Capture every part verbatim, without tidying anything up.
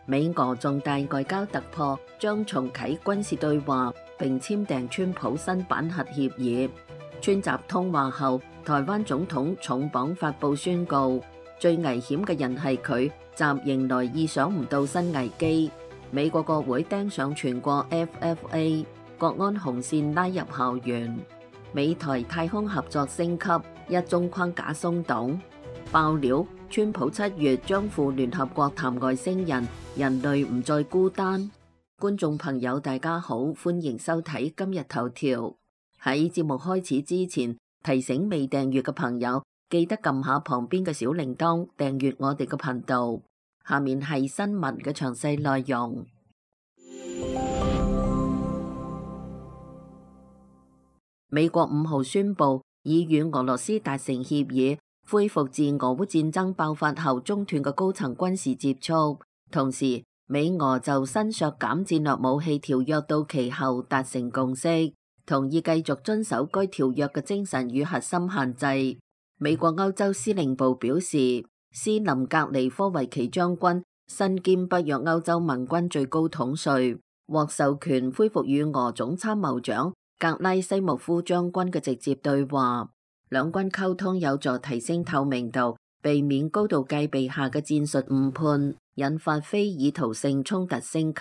美俄重大外交突破，將重啟軍事對話並簽訂川普新版核協議。川習通話後，台灣總統重磅發布宣告，最危險嘅人係佢，習迎來意想唔到新危機。美國國會釘上全國 F F A 國安紅線拉入校園。美台太空合作升級，一中框架鬆動。爆料，川普七月將赴聯合國談外星人，人類唔再孤單。觀眾朋友大家好，歡迎收睇今日頭條。喺節目開始之前，提醒未訂閱嘅朋友記得撳下旁邊嘅小鈴鐺，訂閱我哋嘅頻道。下面係新聞嘅詳細內容。美國五號宣布已與俄羅斯達成協議，恢復自俄烏戰爭爆發後中斷嘅高層軍事接觸。同時，美俄就新削減戰略武器條約到期後達成共識，同意繼續遵守該條約嘅精神與核心限制。美國歐洲司令部表示，斯林格尼科維奇將軍身兼北約歐洲盟軍最高統帥，獲授權恢復與俄總參謀長格拉西莫夫將軍嘅直接對話，兩軍溝通有助提升透明度，避免高度戒備下嘅戰術誤判，引發非意圖性衝突升級。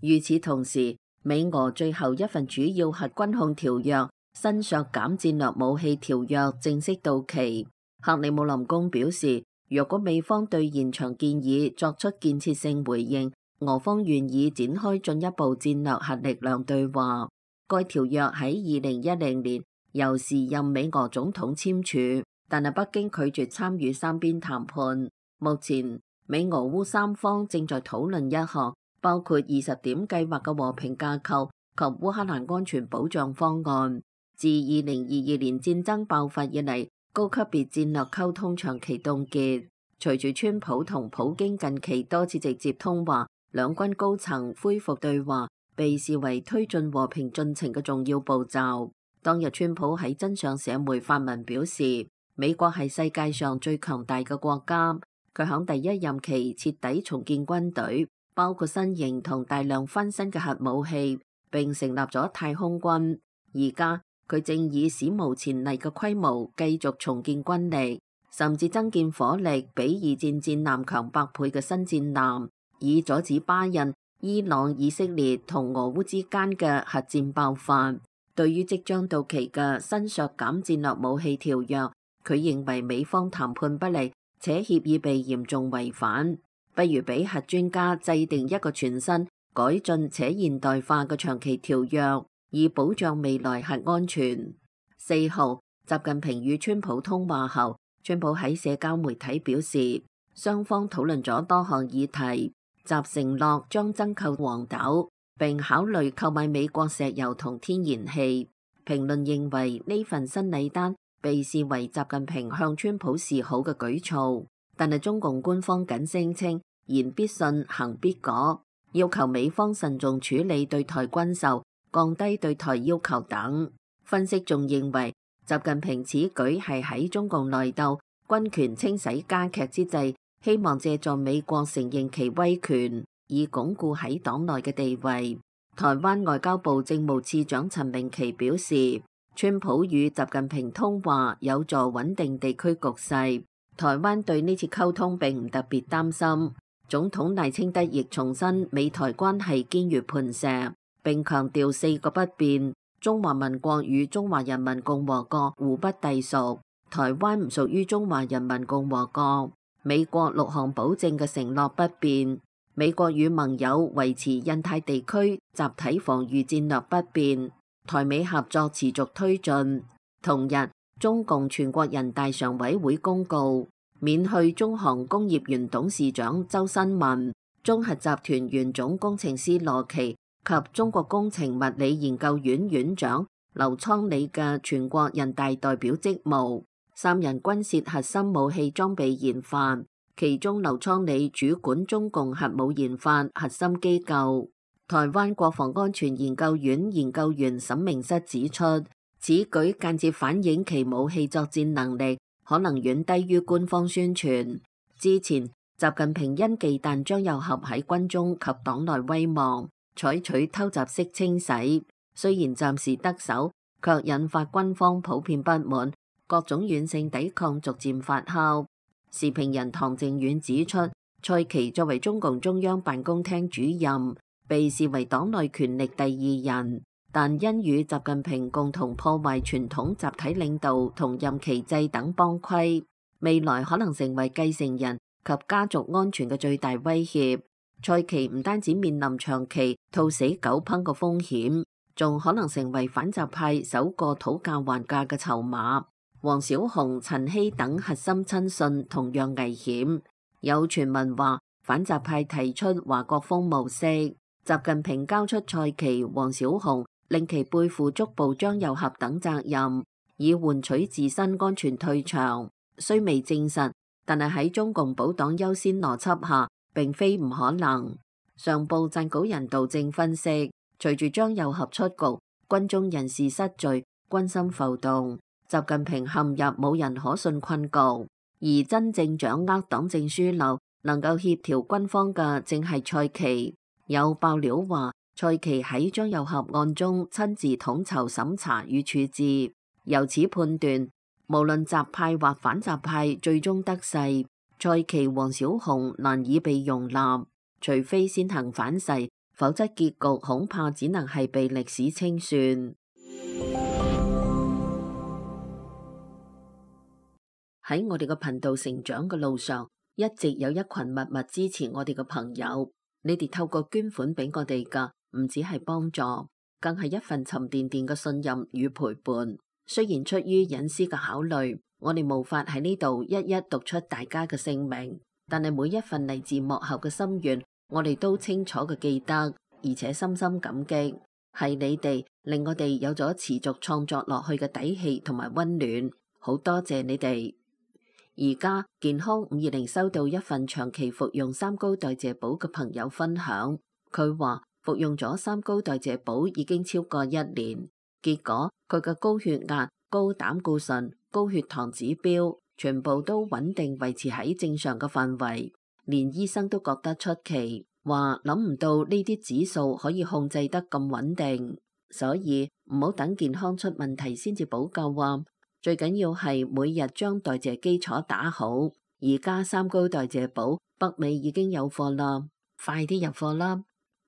與此同時，美俄最後一份主要核軍控條約新削減戰略武器條約正式到期。克里姆林宮表示，若果美方對延長建議作出建設性回應，俄方願意展開進一步戰略核力量對話。該條約喺二零一零年由時任美俄總統簽署，但係北京拒絕參與三邊談判。目前美俄烏三方正在討論一項包括二十點計劃嘅和平架構及烏克蘭安全保障方案。自二零二二年戰爭爆發以嚟，高級別戰略溝通長期凍結。隨住川普同普京近期多次直接通話，兩軍高層恢復對話被視為推進和平進程嘅重要步驟。當日川普喺真相社媒發文表示，美國係世界上最強大嘅國家。佢響第一任期徹底重建軍隊，包括新型同大量翻新嘅核武器，並成立咗太空軍。而家佢正以史無前例嘅規模繼續重建軍力，甚至增建火力比二戰戰艦強百倍嘅新戰艦，以阻止巴印、伊朗、以色列同俄烏之間嘅核戰爆發。對於即將到期嘅新削減戰略武器條約，佢認為美方談判不利，且協議被嚴重違反，不如俾核專家制定一個全新、改進且現代化嘅長期條約，以保障未來核安全。四號，習近平與川普通話後，川普喺社交媒體表示，雙方討論咗多項議題。習承諾將增購黃豆，並考慮購買美國石油同天然氣。評論認為呢份新禮單被視為習近平向川普示好嘅舉措，但係中共官方僅聲稱言必信，行必果，要求美方慎重處理對台軍售，降低對台要求等。分析仲認為，習近平此舉係喺中共內鬥、軍權清洗加劇之際，希望借助美國承認其威權，以鞏固喺黨內嘅地位。台灣外交部政務次長陳明奇表示，川普與習近平通話有助穩定地區局勢。台灣對呢次溝通並唔特別擔心。總統賴清德亦重申美台關係堅如磐石，並強調四個不變：中華民國與中華人民共和國互不隸屬，台灣唔屬於中華人民共和國。美國六項保證嘅承諾不變，美國與盟友維持印太地區集體防禦戰略不變，台美合作持續推進。同日，中共全國人大常委會公告，免去中航工業原董事長周新文、中核集團原總工程師羅奇及中國工程物理研究院院長劉倉里嘅全國人大代表職務。三人均涉核心武器裝備研發，其中劉倉里主管中共核武研發核心機構。台灣國防安全研究院研究員沈明室指出，此舉間接反映其武器作戰能力可能遠低於官方宣傳。之前習近平因忌憚張又俠喺軍中及黨內威望，採取偷襲式清洗，雖然暫時得手，卻引發軍方普遍不滿，各種軟性抵抗逐漸發酵。時評人唐靖遠指出，蔡奇作為中共中央辦公廳主任，被視為黨內權力第二人，但因與習近平共同破壞傳統集體領導同任期制等幫規，未來可能成為繼承人及家族安全嘅最大威脅。蔡奇唔單止面臨長期兔死狗烹嘅風險，仲可能成為反習派首個討價還價嘅籌碼。王小洪、陳希等核心親信同樣危險。有傳聞話反習派提出華國鋒模式，習近平交出蔡奇、王小洪，令其背負捉捕張又俠等責任，以換取自身安全退場。雖未證實，但係喺中共保黨優先邏輯下，並非唔可能。上報撰稿人杜正分析，隨住張又俠出局，軍中人事失序，軍心浮動，習近平陷入冇人可信困局。而真正掌握黨政樞紐，能夠協調軍方嘅正係蔡奇。有爆料話，蔡奇喺張又俠案中親自統籌審查與處置，由此判斷，無論習派或反習派最終得勢，蔡奇、王小洪難以被容納，除非先行反噬，否則結局恐怕只能係被歷史清算。喺我哋嘅頻道成長嘅路上，一直有一群默默支持我哋嘅朋友。你哋透過捐款俾我哋噶，唔只係幫助，更係一份沉甸甸嘅信任與陪伴。雖然出於隱私嘅考慮，我哋無法喺呢度一一讀出大家嘅姓名，但係每一份嚟自幕後嘅心願，我哋都清楚嘅記得，而且深深感激。係你哋令我哋有咗持續創作落去嘅底氣同埋溫暖，好多謝你哋。而家健康五二零收到一份長期服用三高代謝寶嘅朋友分享，佢話服用咗三高代謝寶已經超過一年，結果佢嘅高血壓、高膽固醇、高血糖指標全部都穩定維持喺正常嘅範圍，連醫生都覺得出奇，話諗唔到呢啲指數可以控制得咁穩定，所以唔好等健康出問題先至補救啊！最緊要係每日將代謝基礎打好，而家三高代謝寶北美已經有貨啦，快啲入貨啦！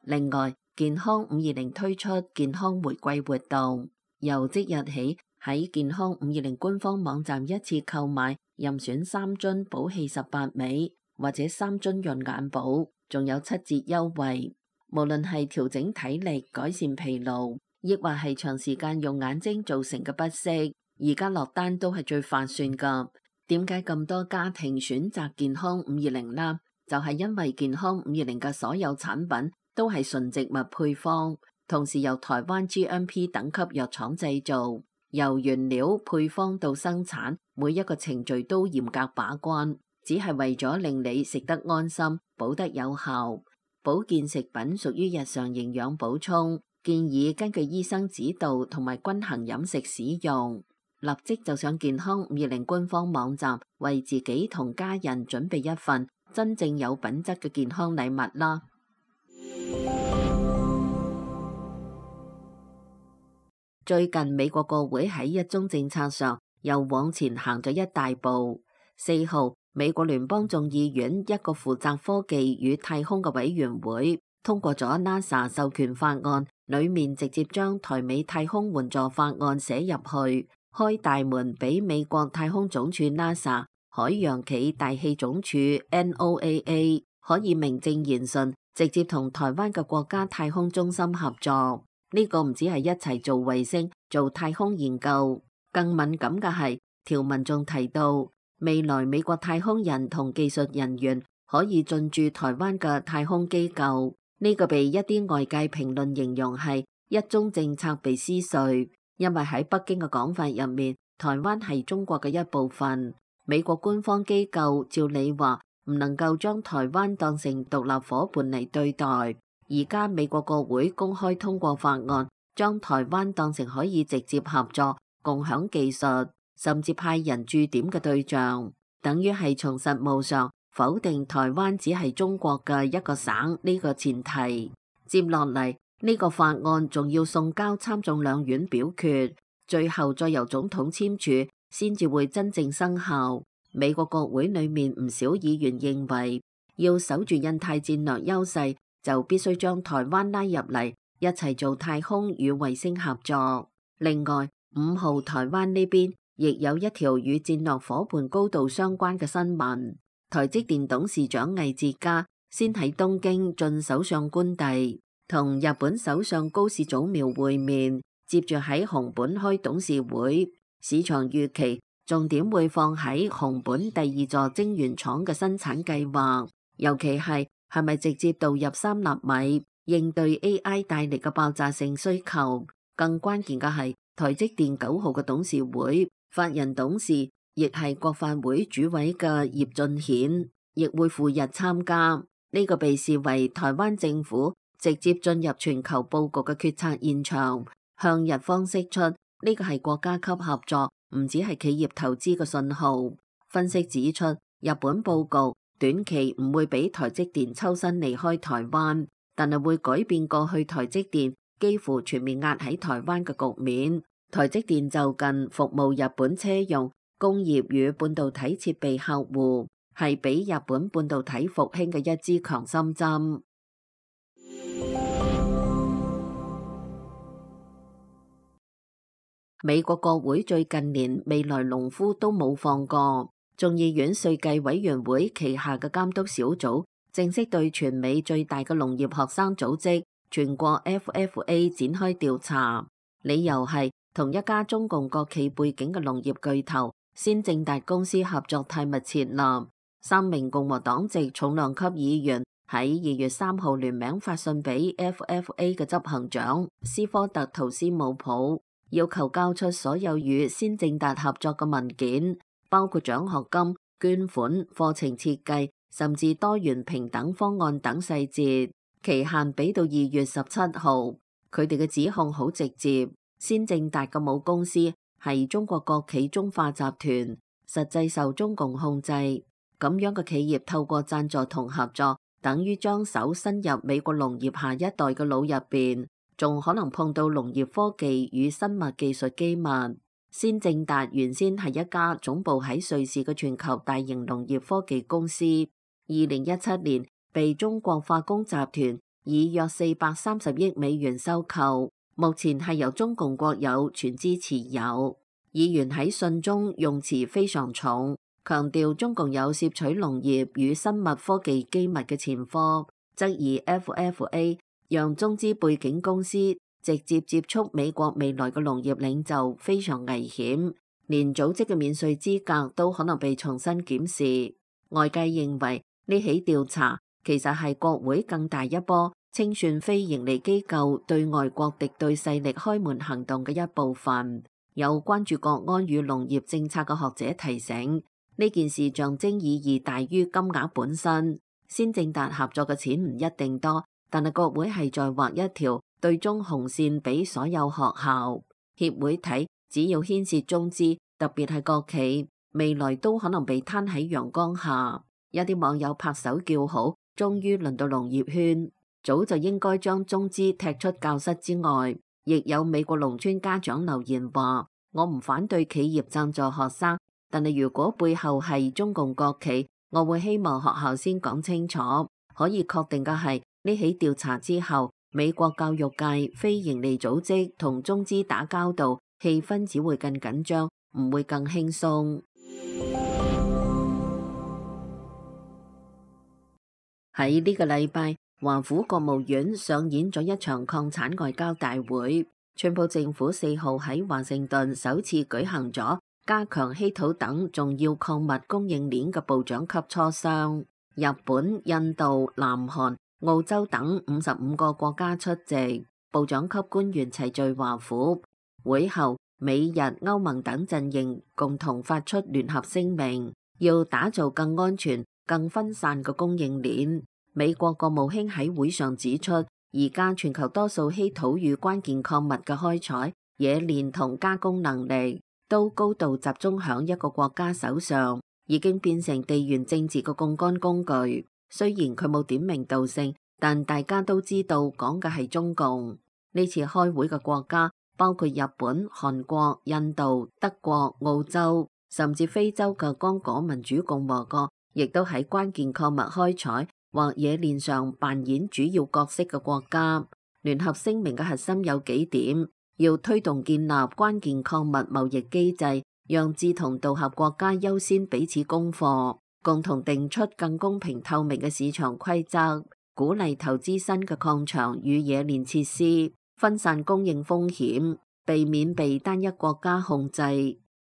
另外，健康五二零推出健康玫瑰活動，由即日起喺健康五二零官方網站一次購買任選三樽寶氣十八味或者三樽潤眼寶，仲有七折優惠。無論係調整體力、改善疲勞，亦或係長時間用眼睛造成嘅不適，而家落單都係最划算噶。點解咁多家庭選擇健康五二零呢？就係因為健康五二零嘅所有產品都係純植物配方，同時由台灣 G M P 等級藥廠製造，由原料配方到生產，每一個程序都嚴格把關，只係為咗令你食得安心，補得有效。保健食品屬於日常營養補充，建議根據醫生指導同埋均衡飲食使用。立即就上健康五二零官方網站，為自己同家人準備一份真正有品質嘅健康禮物啦！最近美國國會喺一宗政策上又往前行咗一大步。四號，美國聯邦眾議院一個負責科技與太空嘅委員會通過咗 NASA 授權法案，裏面直接將台美太空援助法案寫入去，開大門俾美國太空總署 NASA、海洋企大氣總署 N O A A 可以名正言順直接同台灣嘅國家太空中心合作。呢個唔止係一齊做衛星、做太空研究，更敏感嘅係條文仲提到，未來美國太空人同技術人員可以進駐台灣嘅太空機構。呢個被一啲外界評論形容係一宗政策被撕碎，因為喺北京嘅講法入面，台灣係中國嘅一部分。美國官方機構照理話唔能夠將台灣當成獨立夥伴嚟對待。而家美國國會公開通過法案，將台灣當成可以直接合作、共享技術，甚至派人駐點嘅對象，等於係從實務上否定台灣只係中國嘅一個省呢個前提。接落嚟呢個法案仲要送交參眾兩院表決，最後再由總統簽署，先至會真正生效。美國國會裏面唔少議員認為，要守住印太戰略優勢，就必須將台灣拉入嚟，一齊做太空與衛星合作。另外，五號台灣呢邊亦有一條與戰略夥伴高度相關嘅新聞。台積電董事長魏哲家先喺東京進首相官邸，同日本首相高市早苗會面，接住喺熊本開董事會。市場預期重點會放喺熊本第二座晶圓廠嘅生產計劃，尤其係係咪直接導入三納米，應對 A I 帶嚟嘅爆炸性需求。更關鍵嘅係台積電九號嘅董事會法人董事，亦係國發會主委嘅葉俊顯，亦會赴日參加。呢個被視為台灣政府直接進入全球佈局嘅決策現場，向日方釋出呢個係國家級合作，唔只係企業投資嘅信號。分析指出，日本佈局短期唔會俾台積電抽身離開台灣，但係會改變過去台積電幾乎全面壓喺台灣嘅局面。台積電就近服務日本車用、工業與半導體設備客戶，係俾日本半導體復興嘅一支強心針。美國國會最近連未來農夫都冇放過，眾議院稅計委員會旗下嘅監督小組正式對全美最大嘅農業學生組織全國 F F A 展開調查，理由係同一家中共國企背景嘅農業巨頭先正達公司合作太密切啦。三名共和黨籍重量級議員喺二月三號聯名發信俾 F F A 嘅執行長斯科特圖斯姆普，要求交出所有與先正達合作嘅文件，包括獎學金、捐款、課程設計，甚至多元平等方案等細節。期限俾到二月十七號。佢哋嘅指控好直接，先正達嘅母公司係中國國企中化集團，實際受中共控制。咁樣嘅企業透過贊助同合作，等於將手伸入美國農業下一代嘅腦入邊，仲可能碰到農業科技與生物技術機密。先正達原先係一家總部喺瑞士嘅全球大型農業科技公司，二零一七年被中國化工集團以約四百三十億美元收購，目前係由中共國有全資持有。議員喺信中用詞非常重，強調中共有攝取農業與生物科技機密嘅前科，質疑 F F A 讓中資背景公司直接接觸美國未來嘅農業領袖非常危險，連組織嘅免稅資格都可能被重新檢視。外界認為呢起調查其實係國會更大一波清算非營利機構對外國敵對勢力開門行動嘅一部分。有關注國安與農業政策嘅學者提醒，呢件事象徵意義大於金額本身。先正達合作嘅錢唔一定多，但係國會係在畫一條對中紅線俾所有學校協會睇，只要牽涉中資，特別係國企，未來都可能被攤喺陽光下。有啲網友拍手叫好，終於輪到農業圈，早就應該將中資踢出教室之外。亦有美國農村家長留言話：我唔反對企業贊助學生，但係如果背後係中共國企，我會希望學校先講清楚。可以確定嘅係，呢起調查之後，美國教育界非營利組織同中資打交道，氣氛只會更緊張，唔會更輕鬆。喺呢個禮拜，華府國務院上演咗一場抗產外交大會。川普政府四號喺華盛頓首次舉行咗加強稀土等重要礦物供應鏈嘅部長級磋商。日本、印度、南韓、澳洲等五十五個國家出席，部長級官員齊聚華府。會後，美日歐盟等陣營共同發出聯合聲明，要打造更安全、更分散嘅供應鏈。美國國務卿喺會上指出，而家全球多數稀土與關鍵礦物嘅開採、冶煉同加工能力都高度集中響一個國家手上，已經變成地緣政治嘅槓桿工具。雖然佢冇點名道姓，但大家都知道講嘅係中共。呢次開會嘅國家包括日本、韓國、印度、德國、澳洲，甚至非洲嘅剛果民主共和國，亦都喺關鍵礦物開採或冶煉上扮演主要角色嘅國家。聯合聲明嘅核心有幾點：要推動建立關鍵礦物貿易機制，讓志同道合國家優先彼此供貨，共同定出更公平透明嘅市場規則，鼓勵投資新嘅礦場與冶煉設施，分散供應風險，避免被單一國家控制。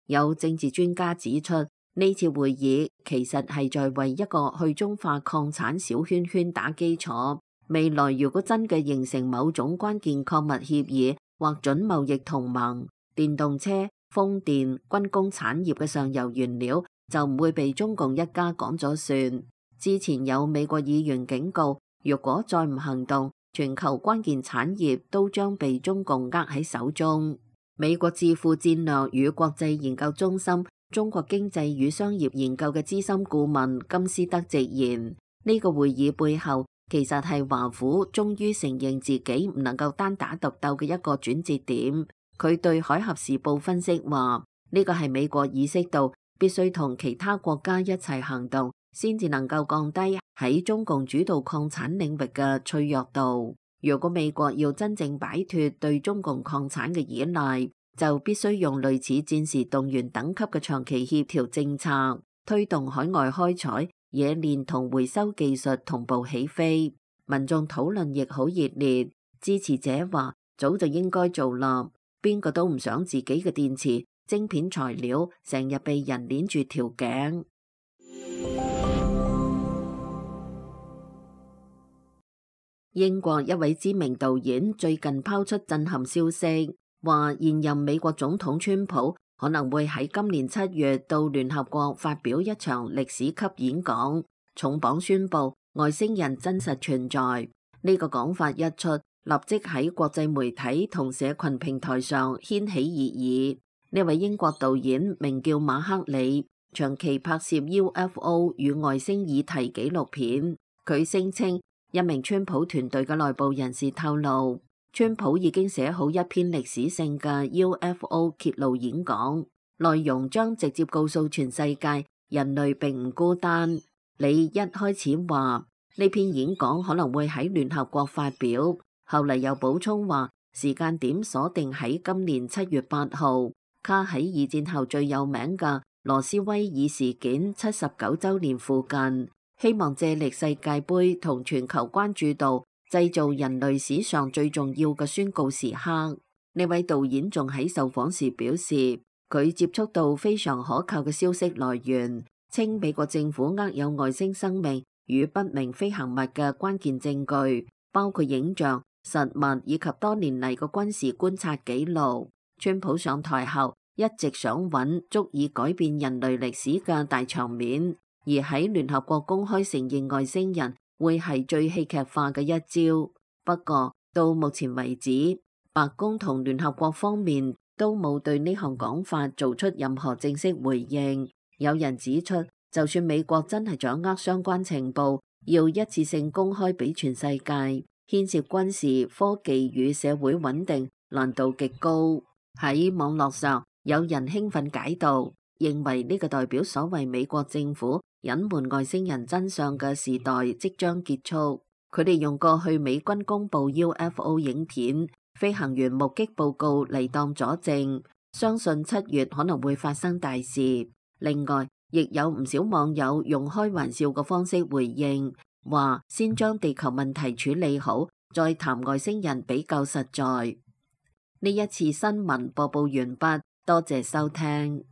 有政治專家指出，呢次會議其實係在為一個去中化礦產小圈圈打基礎。未來如果真嘅形成某種關鍵礦物協議或準貿易同盟，電動車、風電、軍工產業嘅上游原料就唔會被中共一家講咗算。之前有美國議員警告，如果再唔行動，全球關鍵產業都將被中共握喺手中。美國智庫戰略與國際研究中心中國經濟與商業研究嘅資深顧問金斯德直言，呢個會議背後其實係華府終於承認自己唔能夠單打獨鬥嘅一個轉折點。佢對海峽時報分析話，呢個係美國意識到必須同其他國家一齊行動，先至能夠降低喺中共主導礦產領域嘅脆弱度。如果美國要真正擺脫對中共礦產嘅依賴，就必須用類似戰時動員等級嘅長期協調政策，推動海外開採、冶煉同回收技術同步起飛。民眾討論亦好熱烈，支持者話早就應該做啦，邊個都唔想自己嘅電池、晶片材料成日被人鏈住條頸。英國一位知名導演最近拋出震撼消息，話現任美國總統川普可能會喺今年七月到聯合國發表一場歷史級演講，重磅宣布外星人真實存在。呢個講法一出，立即喺國際媒體同社群平台上掀起熱議。呢位英國導演名叫馬克里，長期拍攝 U F O 與外星議題紀錄片。佢聲稱一名川普團隊嘅內部人士透露，川普已經寫好一篇歷史性嘅 U F O 揭露演講，內容將直接告訴全世界人類並唔孤單。你一開始話呢篇演講可能會喺聯合國發表，後嚟又補充話時間點鎖定喺今年七月八號，卡喺二戰後最有名嘅羅斯威爾事件七十九週年附近，希望借力世界盃同全球關注度，製造人類史上最重要嘅宣告時刻。呢位導演仲喺受訪時表示，佢接觸到非常可靠嘅消息來源，稱美國政府握有外星生命與不明飛行物嘅關鍵證據，包括影像、實物以及多年嚟嘅軍事觀察記錄。川普上台後一直想揾足以改變人類歷史嘅大場面，而喺聯合國公開承認外星人會係最戲劇化嘅一招。不過到目前為止，白宮同聯合國方面都冇對呢項講法做出任何正式回應。有人指出，就算美國真係掌握相關情報，要一次性公開俾全世界，牽涉軍事、科技與社會穩定，難度極高。喺網絡上，有人興奮解讀，認為呢個代表所謂美國政府隱瞞外星人真相嘅時代即將結束。佢哋用過去美軍公布 U F O 影片、飛行員目擊報告嚟當佐證，相信七月可能會發生大事。另外，亦有唔少網友用開玩笑嘅方式回應，話先將地球問題處理好，再談外星人比較實在。呢一次新聞播報完畢，多謝收聽。